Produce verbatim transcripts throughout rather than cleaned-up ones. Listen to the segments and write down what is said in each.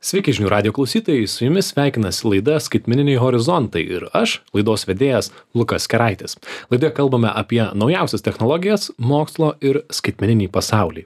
Sveiki žinių radio klausytojai, su jumis sveikinasi laida Skaitmeniniai horizontai ir aš, laidos vedėjas Lukas Keraitis. Laidoje kalbame apie naujausias technologijas, mokslo ir skaitmeninį pasaulį.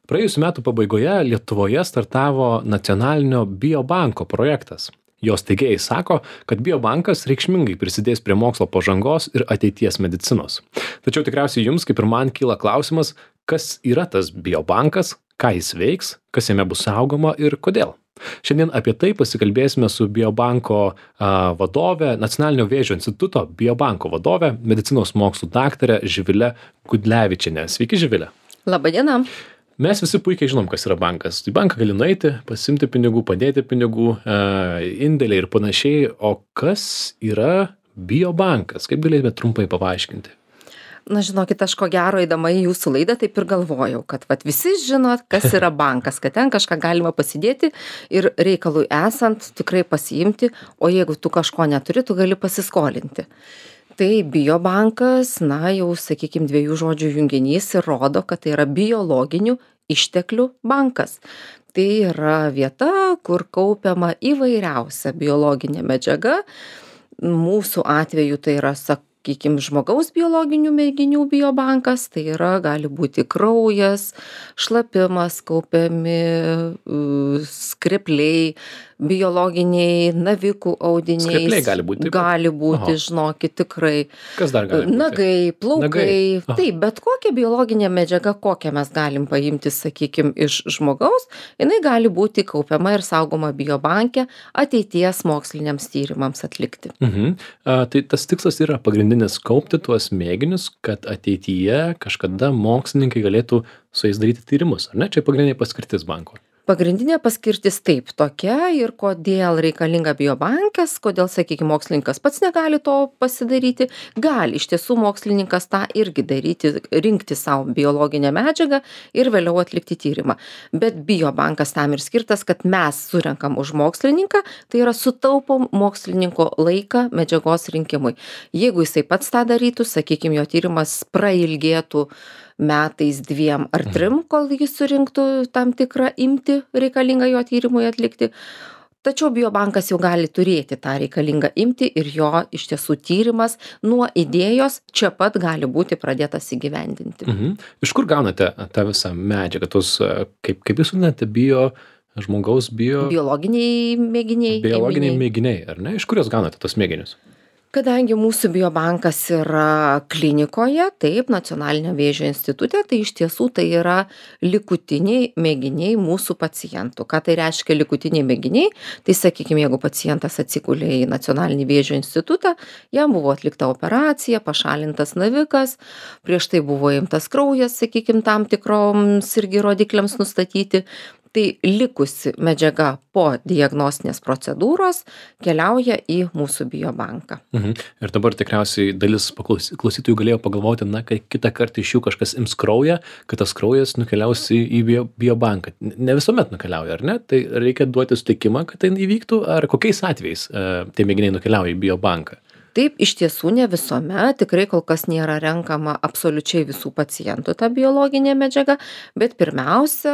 Praėjusiu metu pabaigoje Lietuvoje startavo nacionalinio biobanko projektas. Jos steigėjai sako, kad biobankas reikšmingai prisidės prie mokslo pažangos ir ateities medicinos. Tačiau tikriausiai jums, kaip ir man, kyla klausimas, kas yra tas biobankas, ką jis veiks, kas jame bus saugoma ir kodėl. Šiandien apie tai pasikalbėsime su biobanko a, vadove, Nacionalinio vėžio instituto biobanko vadove, medicinos mokslų daktare Živile Gudlevičiene. Sveiki, Živile. Labą dieną. Mes visi puikiai žinom, kas yra bankas. Į banką gali nueiti, pasimti pinigų, padėti pinigų, a, indėliai ir panašiai. O kas yra biobankas? Kaip galėtume trumpai paaiškinti? Na, žinokit, aš ko gero įdama į jūsų laidą taip ir galvojau, kad vat, visi žinot, kas yra bankas, kad ten kažką galima pasidėti ir reikalui esant tikrai pasiimti, o jeigu tu kažko neturi, tu gali pasiskolinti. Tai biobankas, na jau, sakykime, dviejų žodžių junginys ir rodo, kad tai yra biologinių išteklių bankas. Tai yra vieta, kur kaupiama įvairiausia biologinė medžiaga. Mūsų atveju tai yra, sak, sakykim, žmogaus biologinių mėginių biobankas, tai yra, gali būti kraujas, šlapimas, kaupiami uh, skrepliai, biologiniai navikų audiniai. Skrepliai gali būti. Gali būti, Aha. žinokit, tikrai. Kas dar gali būti? Nagai, plaukai. Nagai. Taip, bet kokia biologinė medžiaga, kokią mes galim paimti, sakykim, iš žmogaus, jinai gali būti kaupiama ir saugoma biobanke ateities moksliniams tyrimams atlikti. Mhm. A, tai tas tikslas yra pagrindinis kaupti tuos mėginius, kad ateityje kažkada mokslininkai galėtų su jais daryti tyrimus, ar ne? Čia pagrindinė paskirtis banko. Pagrindinė paskirtis taip tokia ir kodėl reikalinga biobankės, kodėl, sakykime, mokslininkas pats negali to pasidaryti, gali iš tiesų mokslininkas tą irgi daryti, rinkti savo biologinę medžiagą ir vėliau atlikti tyrimą. Bet biobankas tam ir skirtas, kad mes surenkam už mokslininką, tai yra sutaupom mokslininko laiką medžiagos rinkimui. Jeigu jisai pats tą darytų, sakykime, jo tyrimas prailgėtų metais dviem ar trim, kol jis surinktų tam tikrą imtį reikalingą jo tyrimui atlikti. Tačiau biobankas jau gali turėti tą reikalingą imtį ir jo iš tiesų tyrimas nuo idėjos čia pat gali būti pradėtas įgyvendinti. Mhm. Iš kur gaunate tą visą medžiagą, tos, kaip, kaip jūs vadinate, bio, žmogaus bio... Biologiniai mėginiai. Biologiniai mėginiai, ar ne? Iš kur jūs gaunate tos mėginius? Kadangi mūsų biobankas yra klinikoje, taip, Nacionalinio vėžio institute, tai iš tiesų tai yra likutiniai mėginiai mūsų pacientų. Ką tai reiškia likutiniai mėginiai? Tai sakykime, jeigu pacientas atsigulė į Nacionalinį vėžio institutą, jam buvo atlikta operacija, pašalintas navikas, prieš tai buvo imtas kraujas, sakykime, tam tikroms irgi rodikliams nustatyti. Tai likusi medžiaga po diagnostinės procedūros keliauja į mūsų biobanką. Mhm. Ir dabar tikriausiai dalis klausytojų galėjo pagalvoti, na, kai kitą kartą iš jų kažkas ims kraują, kad tas kraujas nukeliaus į, į bio, biobanką. Ne visuomet nukeliauja, ar ne? Tai reikia duoti sutikimą, kad tai įvyktų, ar kokiais atvejais e, tie mėginiai nukeliauja į biobanką? Taip, iš tiesų ne visuomet, tikrai kol kas nėra renkama absoliučiai visų pacientų ta biologinė medžiaga, bet pirmiausia,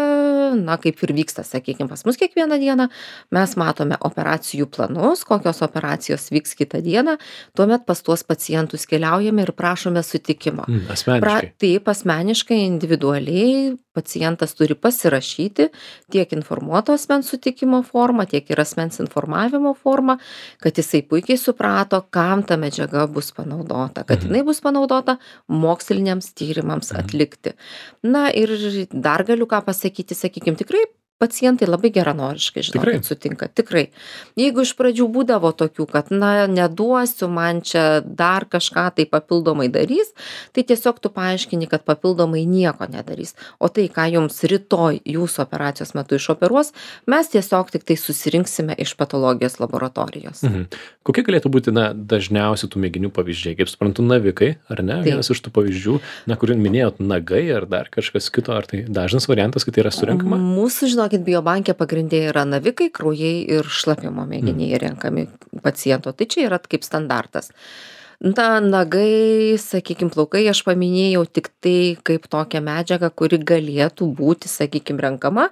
na kaip ir vyksta, sakykime, pas mus kiekvieną dieną, mes matome operacijų planus, kokios operacijos vyks kitą dieną, tuomet pas tuos pacientus keliaujame ir prašome sutikimo. Mm, asmeniškai. Pra, taip, asmeniškai, individualiai pacientas turi pasirašyti tiek informuoto asmens sutikimo formą, tiek ir asmens informavimo formą, kad jisai puikiai suprato, kam ta medžiaga bus panaudota, kad Mhm. jinai bus panaudota moksliniams tyrimams atlikti. Na ir dar galiu ką pasakyti, sakykime, tikrai pacientai labai geranoriškai, žinokit, sutinka. Tikrai. Jeigu iš pradžių būdavo tokių, kad, na, neduosiu, man čia dar kažką tai papildomai darys, tai tiesiog tu paaiškini, kad papildomai nieko nedarys. O tai, ką jums rytoj jūsų operacijos metu išoperuos, mes tiesiog tik tai susirinksime iš patologijos laboratorijos. Mhm. Kokie galėtų būti, na, dažniausiai tų mėginių pavyzdžiai? Kaip suprantu, navikai, ar ne? Taip. Vienas iš tų pavyzdžių, na, kurį minėjot, nagai ar dar kažkas kito, ar tai dažnas variantas, kad tai yra surinkama? Mūsų, žinokit, biobankė pagrindė yra navikai, kraujai ir šlapimo mėginiai renkami paciento. Tai čia yra kaip standartas. Na, nagai, sakykim, plaukai aš paminėjau tik tai kaip tokią medžiagą, kuri galėtų būti, sakykim, renkama.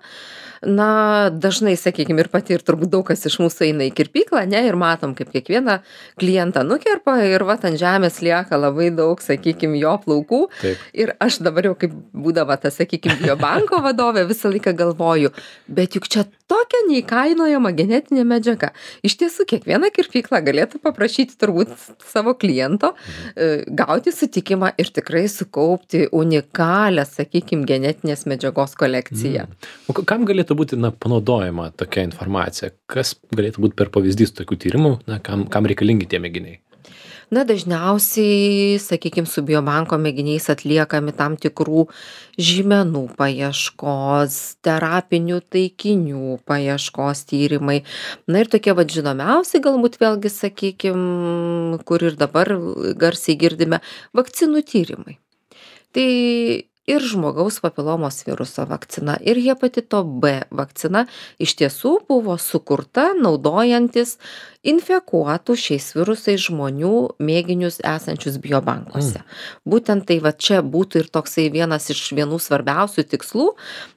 Na, dažnai, sakykim, ir pati, ir turbūt daug kas iš mūsų eina į kirpyklą, ne, ir matom, kaip kiekvieną klientą nukerpa ir vat ant žemės lieka labai daug, sakykim, jo plaukų. Taip. Ir aš dabar jau kaip būdama ta, sakykim, biobanko vadovė visą laiką galvoju, bet juk čia tokia neįkainojama genetinė medžiaga. Iš tiesų, kiekviena kirpykla galėtų paprašyti turbūt savo kliento, e, gauti sutikimą ir tikrai sukaupti unikalią, sakykim, genetinės medžiagos kolekciją. O k- kam galėtų būti na, panaudojama tokia informacija? Kas galėtų būti per pavyzdys tokių tyrimų, na, kam, kam reikalingi tie mėginiai? Na, dažniausiai, sakykim, su biobanko mėginiais atliekami tam tikrų žymenų paieškos, terapinių taikinių paieškos tyrimai. Na ir tokie vad žinomiausi galbūt vėlgi, sakykim, kur ir dabar garsiai girdime, vakcinų tyrimai. Tai ir žmogaus papilomos viruso vakcina, ir hepatito B vakcina iš tiesų buvo sukurta naudojantis infekuotų šiais virusais žmonių mėginius esančius biobankuose. Būtent tai va čia būtų ir toksai vienas iš vienų svarbiausių tikslų,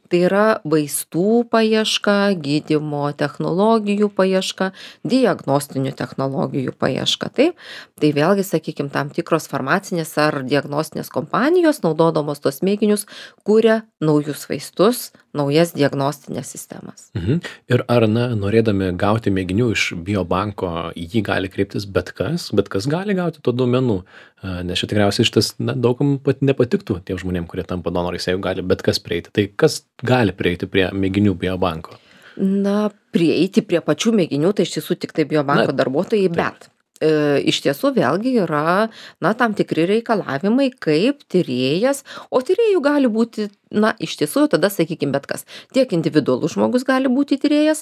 tai yra vaistų paieška, gydymo technologijų paieška, diagnostinių technologijų paieška. Taip, tai vėlgi, sakykim, tam tikros farmacinės ar diagnostinės kompanijos, naudodamos tos mėginius, kuria naujus vaistus, naujas diagnostinės sistemas. Mhm. Ir ar, na, norėdami gauti mėginių iš biobanko, į jį gali kreiptis bet kas, bet kas gali gauti to duomenų, A, nes čia tikriausiai šitas, na, daugam pat nepatiktų tiem žmonėm, kurie tampa donorais, jeigu gali bet kas prieiti. Tai kas gali prieiti prie mėginių biobanko? Na, prieiti prie pačių mėginių, tai iš tiesų tik tai biobanko Na, darbuotojai, taip. bet e, iš tiesų vėlgi yra, na, tam tikri reikalavimai, kaip tyrėjas, o tyrėjų gali būti, na, iš tiesų jau tada, sakykim, bet kas. Tiek individualus žmogus gali būti tyrėjas,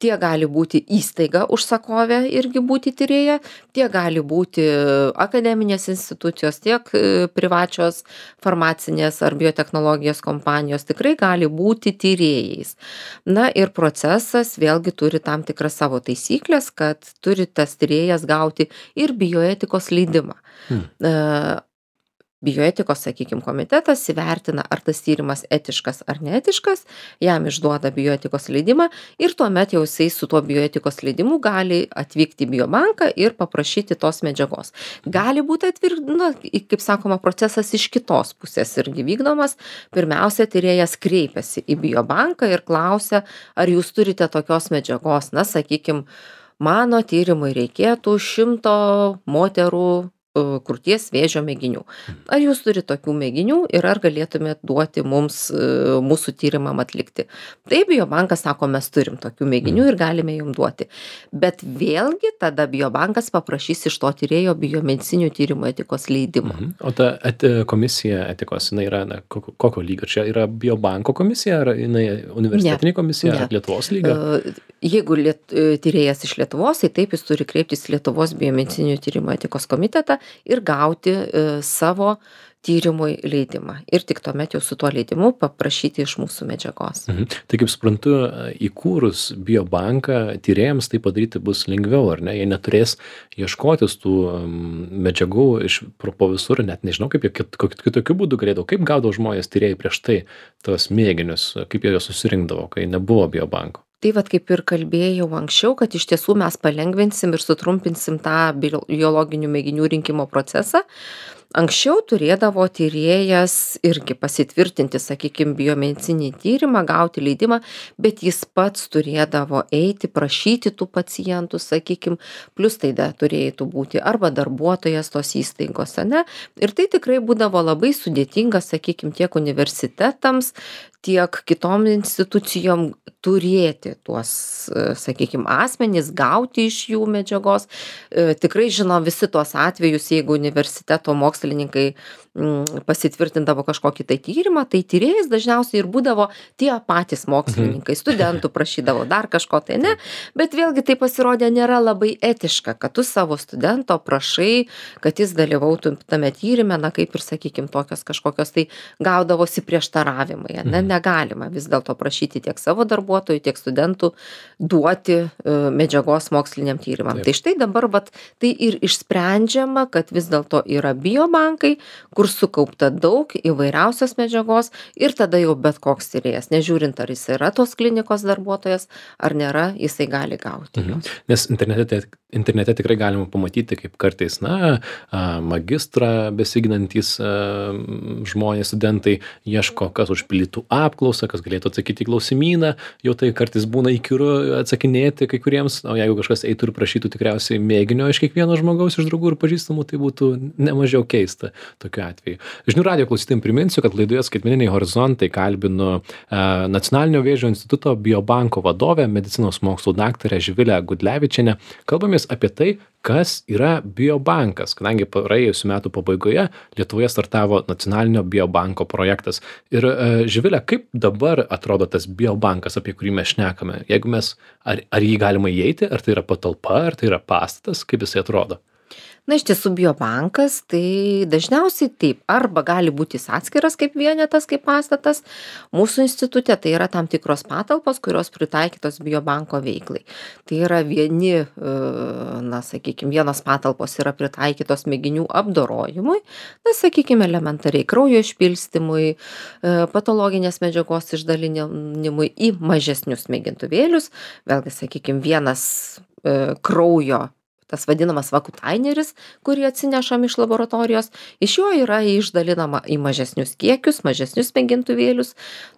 tiek gali būti įstaiga užsakovė irgi būti tyrėja, tiek gali būti akademinės institucijos, tiek e, privačios farmacinės ar biotechnologijos kompanijos tikrai gali būti tyrėjais. Na ir procesas vėlgi turi tam tikras savo taisyklės, kad turi tas tyrėjas gauti ir bioetikos leidimą. Hmm. E, Bioetikos, sakykim, komitetas įvertina, ar tas tyrimas etiškas ar neetiškas, jam išduoda bioetikos leidimą ir tuomet jau jisai su tuo bioetikos leidimu gali atvykti į biobanką ir paprašyti tos medžiagos. Gali būti atvir, na, kaip sakoma, procesas iš kitos pusės irgi vykdomas. Pirmiausia, tyrėjas kreipiasi į biobanką ir klausia, ar jūs turite tokios medžiagos. Na, sakykim, mano tyrimui reikėtų šimto moterų krūties vėžio mėginių. Ar jūs turite tokių mėginių ir ar galėtumėt duoti mums e, mūsų tyrimam atlikti? Taip, biobankas sako, mes turim tokių mėginių ir galime jums duoti. Bet vėlgi tada biobankas paprašys iš to tyrėjo biomedicinių tyrimų etikos leidimo. Mhm. O ta eti, komisija etikos, jinai yra, na, kokio, kokio lygio? Čia yra biobanko komisija, ar jinai universitetinė komisija, Ne. ar Lietuvos lygio? E, Jeigu liet, e, tyrėjas iš Lietuvos, tai taip jis turi kreiptis į Lietuvos biomedicinių tyrimų etikos komitetą ir gauti e, savo tyrimui leidimą. Ir tik tuomet jau su tuo leidimu paprašyti iš mūsų medžiagos. Mhm. Tai kaip suprantu, įkūrus biobanką, tyrėjams tai padaryti bus lengviau, ar ne? Jie neturės ieškotis tų um, medžiagų iš pro- po visur, net nežinau, kaip jie kit- kit- kitokiu būdu galėdavo, kaip gaudavo žmonės tyrėjai prieš tai tos mėginius, kaip jie juos susirinkdavo, kai nebuvo biobanko. Tai vat kaip ir kalbėjau anksčiau, kad iš tiesų mes palengvinsim ir sutrumpinsim tą bio- biologinių mėginių rinkimo procesą. Anksčiau turėdavo tyrėjas irgi pasitvirtinti, sakykim, biomedicinį tyrimą, gauti leidimą, bet jis pats turėdavo eiti, prašyti tų pacientų, sakykim, plus tai da turėtų būti arba darbuotojas tos įstaigos, ane? Ir tai tikrai būdavo labai sudėtinga, sakykim, tiek universitetams, tiek kitom institucijom turėti tuos, e, sakykim, asmenys, gauti iš jų medžiagos. E, Tikrai žinom visi tuos atvejus, jeigu universiteto mokslininkai mm, pasitvirtindavo kažkokį tai tyrimą, tai tyrėjais dažniausiai ir būdavo tie patys mokslininkai, studentų prašydavo dar kažko tai, ne, bet vėlgi tai pasirodė nėra labai etiška, kad tu savo studento prašai, kad jis dalyvautų tame tyrime, na kaip ir, sakykime, tokios kažkokios tai gaudavosi prieštaravimai, ne, negalima vis dėlto prašyti tiek savo darbuotojų, tiek studentų duoti uh, medžiagos moksliniam tyrimam. Taip. Tai štai dabar vat, tai ir išsprendžiama, kad vis dėlto yra biobankai, kur sukaupta daug įvairiausios medžiagos ir tada jau bet koks tyrėjas, nežiūrint ar jis yra tos klinikos darbuotojas ar nėra, jisai gali gauti. Mhm. Nes internete, internete tikrai galima pamatyti, kaip kartais, na, magistrą besiginantys žmonės, studentai ieško, kas užpildytų apklausą, kas galėtų atsakyti į klausimyną, jau tai kartais būna įkyru atsakinėti kai kuriems, o jeigu kažkas eitų ir prašytų tikriausiai mėginio iš kiekvieno žmogaus, iš draugų ir pažįstamų, tai būtų nemažiau keista tokiu atveju. Žinių radijo klausytojams priminsiu, kad laidoje Skaitmeniniai horizontai kalbinu e, Nacionalinio vėžio instituto biobanko vadovę, medicinos mokslų daktarę Živilę Gudlevičienę. Kalbamės apie tai, kas yra biobankas, kadangi praėjusių metų pabaigoje Lietuvoje startavo Nacionalinio biobanko projektas. Ir e, Živilė, kaip dabar atrodo tas biobankas, apie kurį mes šnekame? Jeigu mes, ar, ar jį galima įeiti, ar tai yra patalpa, ar tai yra pastatas, kaip jisai atrodo? Na, iš tiesų, biobankas, tai dažniausiai taip, arba gali būti atskiras kaip vienetas, kaip pastatas. Mūsų institute tai yra tam tikros patalpos, kurios pritaikytos biobanko veiklai. Tai yra vieni, na, sakykime, vienos patalpos yra pritaikytos mėginių apdorojimui, na, sakykime, elementariai kraujo išpilstymui, patologinės medžiagos išdalinimui į mažesnius mėgintuvėlius. Vėlgi, sakykime, vienas kraujo, tas vadinamas vakutaineris, kurį atsinešam iš laboratorijos, iš jo yra išdalinama į mažesnius kiekius, mažesnius mėgintuvėlius,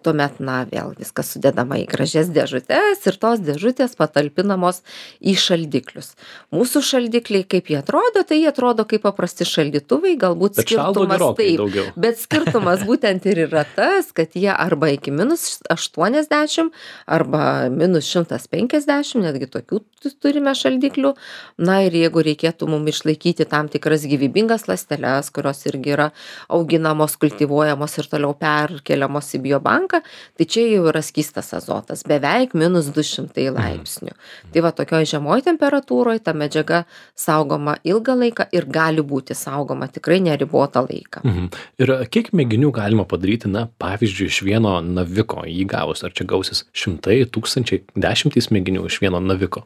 tuomet, na, vėl viskas sudedama į gražias dėžutes ir tos dėžutės patalpinamos į šaldiklius. Mūsų šaldikliai, kaip jie atrodo, tai jie atrodo kaip paprasti šaldytuvai, galbūt bet skirtumas taip, daugiau. Bet skirtumas būtent ir yra tas, kad jie arba iki minus aštuoniasdešimt, arba minus šimtas penkiasdešimt, netgi tokių turime šaldiklių, na, ir jeigu reikėtų mums išlaikyti tam tikras gyvybingas ląsteles, kurios irgi yra auginamos, kultivuojamos ir toliau perkeliamos į biobanką, tai čia jau yra skystas azotas, beveik minus du šimtai laipsnių. Mm. Tai va, tokioj žemoj temperatūroje ta medžiaga saugoma ilgą laiką ir gali būti saugoma tikrai neribotą laiką. Mhm. Ir kiek mėginių galima padaryti, na, pavyzdžiui, iš vieno naviko jį gavus? Ar čia gausis šimtai, tūkstančiai, dešimtys mėginių iš vieno naviko?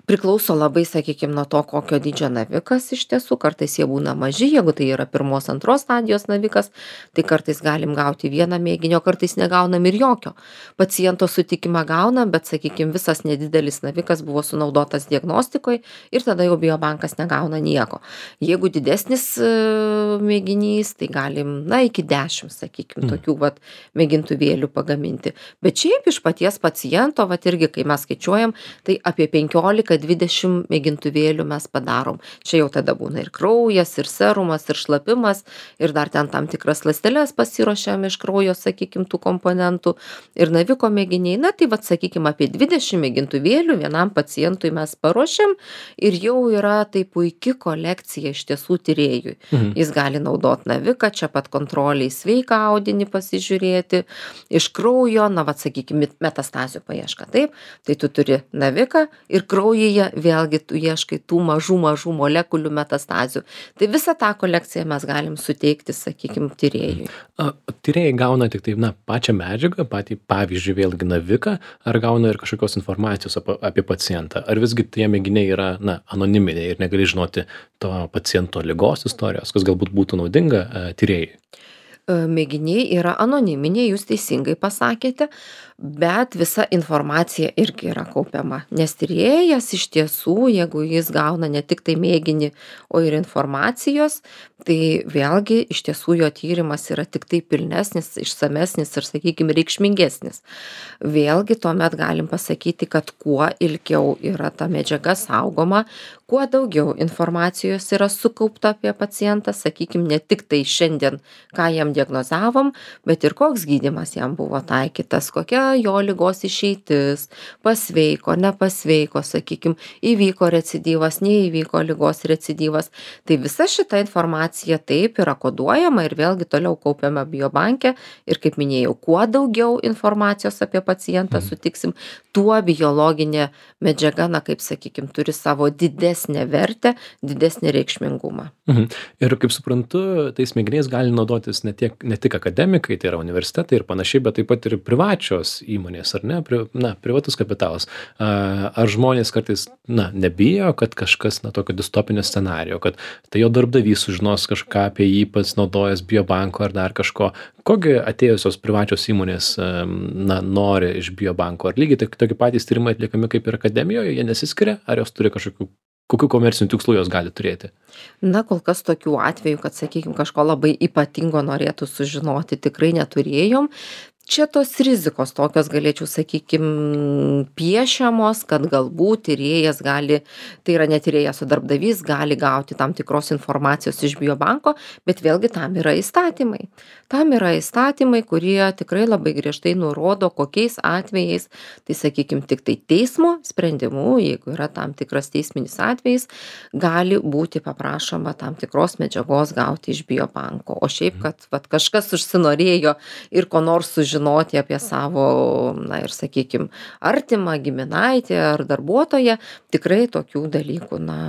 Priklauso labai, sakykime, nuo to, kokio dydžio navikas iš tiesų, kartais jie būna maži, jeigu tai yra pirmos, antros stadijos navikas, tai kartais galim gauti vieną mėginį, o kartais negaunam ir jokio. Paciento sutikimą gaunam, bet, sakykime, visas nedidelis navikas buvo sunaudotas diagnostikoje ir tada jau biobankas negauna nieko. Jeigu didesnis uh, mėginys, tai galim, na, iki dešimt, sakykime, mm. tokių vat, mėgintuvėlių pagaminti. Bet šiaip iš paties paciento, vat irgi, kai mes skaičiuojam, tai apie penkiolika dvidešimt mėgintuvėlių mes padarom. Čia jau tada būna ir kraujas, ir serumas, ir šlapimas, ir dar ten tam tikras ląsteles pasiruošiam iš kraujo, sakykime, tų komponentų, ir naviko mėginiai. Na, tai vat, sakykime, apie dvidešimt mėgintuvėlių vienam pacientui mes paruošiam ir jau yra tai puiki kolekcija iš tiesų tyrėjui. Mhm. Jis gali naudoti naviką, čia pat kontroliai sveiką audinį pasižiūrėti, iš kraujo, na, vat, sakykime, metastazių paieška. Taip, tai tu turi naviką ir kraujyje vėlgi tu ieškai tų mažų, mažų molekulių metastazių. Tai visą tą kolekciją mes galim suteikti, sakykime, tyrėjui. A, tyrėjai gauna tik tai, na, pačią medžiagą, patį, pavyzdžiui, vėlgi naviką, ar gauna ir kažkokios informacijos apie, apie pacientą? Ar visgi tie mėginiai yra, na, anoniminiai ir negali žinoti to paciento ligos istorijos, kas galbūt būtų naudinga a, tyrėjai? Mėginiai yra anoniminiai, jūs teisingai pasakėte, bet visa informacija irgi yra kaupiama. Nes tyrėjas iš tiesų, jeigu jis gauna ne tik tai mėginį, o ir informacijos, tai vėlgi iš tiesų jo tyrimas yra tik tai pilnesnis, išsamesnis ir, sakykime, reikšmingesnis. Vėlgi tuomet galim pasakyti, kad kuo ilgiau yra ta medžiaga saugoma, kuo daugiau informacijos yra sukaupta apie pacientą, sakykime, ne tik tai šiandien, ką jam diagnozavom, bet ir koks gydymas jam buvo taikytas, kokia kokia jo ligos išeitis, pasveiko, nepasveiko, sakykim, įvyko recidyvas, neįvyko ligos recidyvas. Tai visa šita informacija taip yra koduojama ir vėlgi toliau kaupiama biobanke. Ir kaip minėjau, kuo daugiau informacijos apie pacientą sutiksim, tuo biologinė medžiaga, na kaip sakykim, turi savo didesnę vertę, didesnį reikšmingumą. Mhm. Ir kaip suprantu, tais mėginiais gali naudotis ne, tiek, ne tik akademikai, tai yra universitetai ir panašiai, bet taip pat ir privačios įmonės, ar ne? Pri, na, privatus kapitalas. Ar žmonės kartais, na, nebijo, kad kažkas, na, tokio distopinio scenario, kad tai jo darbdavys sužinos kažką apie jį, pats naudojęs biobanko ar dar kažko. Kogi atėjusios privačios įmonės, na, nori iš biobanko? Ar lygiai tokie patys tyrimai atliekami kaip ir akademijoje, jie nesiskiria, ar jos turi kažkokių kokių komercinių tikslų jos gali turėti? Na, kol kas tokių atvejų, kad, sakykime, kažko labai ypatingo norėtų sužinoti, tikrai neturėjom. Čia tos rizikos tokios, galėčiau, sakykim, piešiamos, kad galbūt tyrėjas gali, tai yra ne tyrėjas, o darbdavys gali gauti tam tikros informacijos iš biobanko, bet vėlgi tam yra įstatymai. Tam yra įstatymai, kurie tikrai labai griežtai nurodo, kokiais atvejais, tai sakykim, tik tai teismo sprendimu, jeigu yra tam tikras teisminis atvejis, gali būti paprašoma tam tikros medžiagos gauti iš biobanko. O šiaip, kad vat, kažkas užsinorėjo ir ko nors sužinoti apie savo, na ir sakykim, artimą giminaitį ar darbuotoją, tikrai tokių dalykų, na,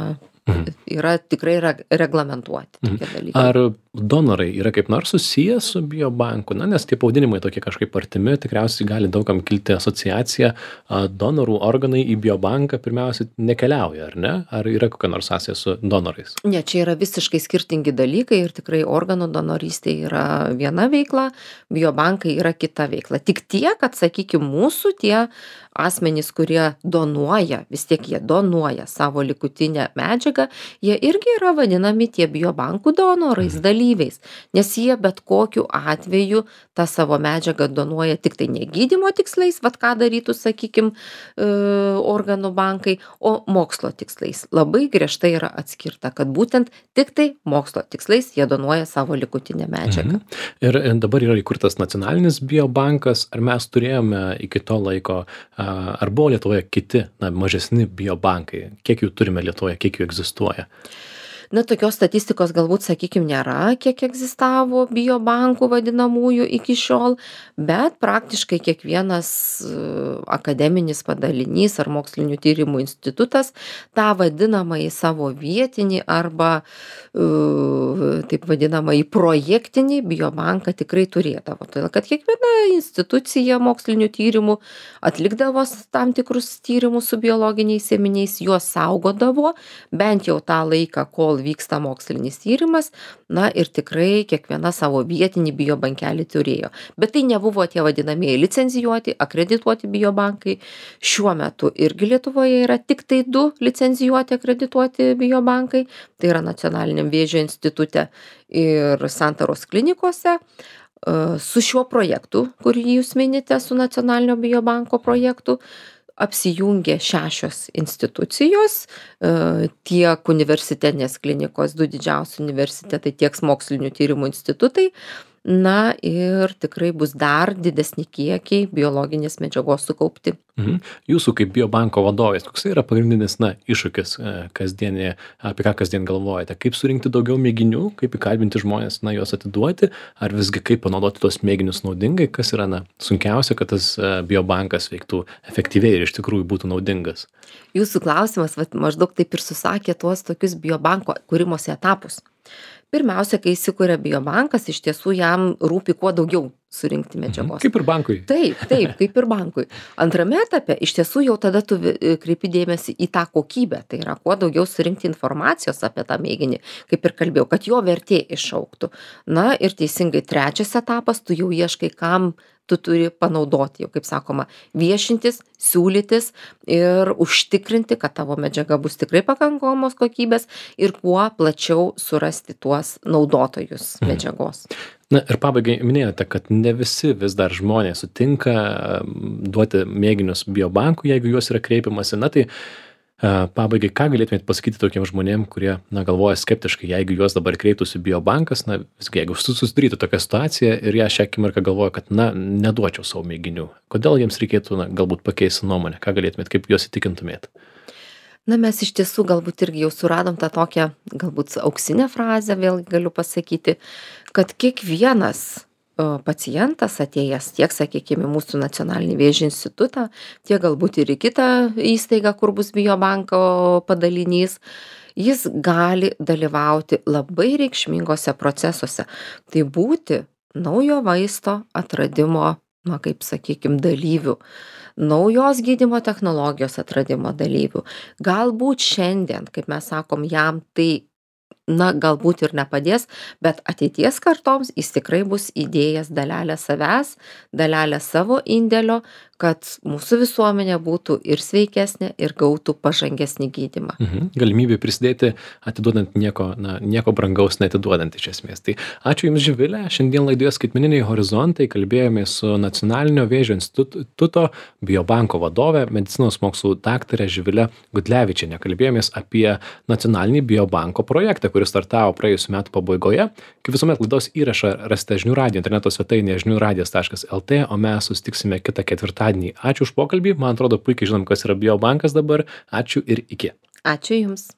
yra tikrai yra reglamentuoti tokie dalykai. Ar donorai yra kaip nors susiję su biobanku? Na, nes tie pavadinimai tokie kažkaip artimi, tikriausiai gali daugam kilti asociacija, donorų organai į biobanką pirmiausia nekeliauja, ar ne? Ar yra kokia nors sąsaja su donorais? Ne, čia yra visiškai skirtingi dalykai ir tikrai organų donorystė yra viena veikla, biobankai yra kita veikla. Tik tiek, kad, sakykime, mūsų tie asmenys, kurie donuoja, vis tiek jie donuoja savo likutinę medžiagą, jie irgi yra vadinami tie biobankų donorais, dalyviais, nes jie bet kokiu atveju tą savo medžiagą donuoja tik tai ne gydymo tikslais, vat ką darytų, sakykim, organų bankai, o mokslo tikslais. Labai griežtai yra atskirta, kad būtent tik tai mokslo tikslais jie donuoja savo likutinę medžiagą. Mhm. Ir dabar yra įkurtas nacionalinis biobankas, ar mes turėjome iki to laiko, ar buvo Lietuvoje kiti, na, mažesni biobankai? Kiek jų turime Lietuvoje, kiek jų egzistuoja? Na, tokios statistikos galbūt, sakykim, nėra, kiek egzistavo biobankų vadinamųjų iki šiol, bet praktiškai kiekvienas akademinis padalinys ar mokslinių tyrimų institutas tą vadinamąjį savo vietinį arba taip vadinamąjį projektinį biobanką tikrai turėdavo. Todėl, kad kiekviena institucija mokslinių tyrimų atlikdavo tam tikrus tyrimus su biologiniais ėminiais, juos saugodavo bent jau tą laiką, kol vyksta mokslinis tyrimas, na ir tikrai kiekviena savo vietinį biobankelį turėjo. Bet tai nebuvo tie vadinamieji licencijuoti, akredituoti biobankai. Šiuo metu irgi Lietuvoje yra tik tai du licencijuoti, akredituoti biobankai. Tai yra Nacionaliniam vėžio institute ir Santaros klinikose. Su šiuo projektu, kurį jūs minite, su Nacionalinio biobanko projektu, apsijungė šešios institucijos, tiek universitetinės klinikos, du didžiausi universitetai, tiek mokslinių tyrimų institutai. Na ir tikrai bus dar didesni kiekiai biologinės medžiagos sukaupti. Mhm. Jūsų kaip biobanko vadovės, koks yra pagrindinis, na, iššūkis kasdienį, apie ką kasdien galvojate? Kaip surinkti daugiau mėginių, kaip įkalbinti žmonės, na, juos atiduoti, ar visgi kaip panaudoti tos mėginius naudingai, kas yra, na, sunkiausia, kad tas biobankas veiktų efektyviai ir iš tikrųjų būtų naudingas? Jūsų klausimas, vat, maždaug taip ir susakė tuos tokius biobanko kūrimosi etapus. Pirmiausia, kai įsikuria biobankas, iš tiesų jam rūpi kuo daugiau surinkti medžiagos. Kaip ir bankui. Taip, taip, kaip ir bankui. Antrame etape, iš tiesų jau tada tu kreipi dėmesį į tą kokybę, tai yra kuo daugiau surinkti informacijos apie tą mėginį, kaip ir kalbėjau, kad jo vertė išauktų. Na ir teisingai trečias etapas, tu jau ieškai, kam tu turi panaudoti, jau kaip sakoma, viešintis, siūlytis ir užtikrinti, kad tavo medžiaga bus tikrai pakankamos kokybės ir kuo plačiau surasti tuos naudotojus medžiagos. Na ir pabaigai minėjote, kad ne visi vis dar žmonės sutinka duoti mėginius biobankų, jeigu juos yra kreipiamasi. Na tai Pabaigai, ką galėtumėt pasakyti tokiem žmonėm, kurie, na, galvoja skeptiškai, jeigu juos dabar kreiptųsi Biobankas, na, visgi, jeigu susidarytų tokią situaciją ir ją šią akimirką galvoja, kad, na, neduočiau savo mėginių, kodėl jiems reikėtų, na, galbūt pakeisti nuomonę, ką galėtumėt, kaip juos įtikintumėt? Na, mes iš tiesų galbūt irgi jau suradom tą tokią, galbūt auksinę frazę, vėl galiu pasakyti, kad kiekvienas pacientas atėjęs tiek, sakykime, mūsų nacionalinį vėžio institutą, tiek galbūt ir į kitą įstaigą, kur bus Biobanko padalinys, jis gali dalyvauti labai reikšmingose procesuose. Tai būti naujo vaisto atradimo, na, kaip sakykime, dalyvių, naujos gydymo technologijos atradimo dalyvių. Galbūt šiandien, kaip mes sakom, jam tai na, galbūt ir nepadės, bet ateities kartoms jis tikrai bus įdėjęs dalelę savęs, dalelę savo indėlio, kad mūsų visuomenė būtų ir sveikesnė, ir gautų pažangesnį gydymą. Mhm. Galimybė prisidėti, atiduodant nieko, na, nieko brangaus neatiduodant iš esmės. Tai ačiū Jums, Živilė. Šiandien laidoje Skaitmeniniai horizontai kalbėjome su Nacionalinio vėžio instituto Biobanko vadove, medicinos mokslų daktare Živile Gudlevičiene. Kalbėjomės apie nacionalinį Biobanko projektą, kuris startavo praėjusiu metu pabaigoje. Kaip visuomet laidos įrašą rasite žinių radijo interneto svetainėje žinių radijas taškas lt, o mes susitiksime kitą ketvirtadienį. Ačiū už pokalbį, man atrodo puikiai žinom, kas yra Biobankas dabar. Ačiū ir iki. Ačiū Jums.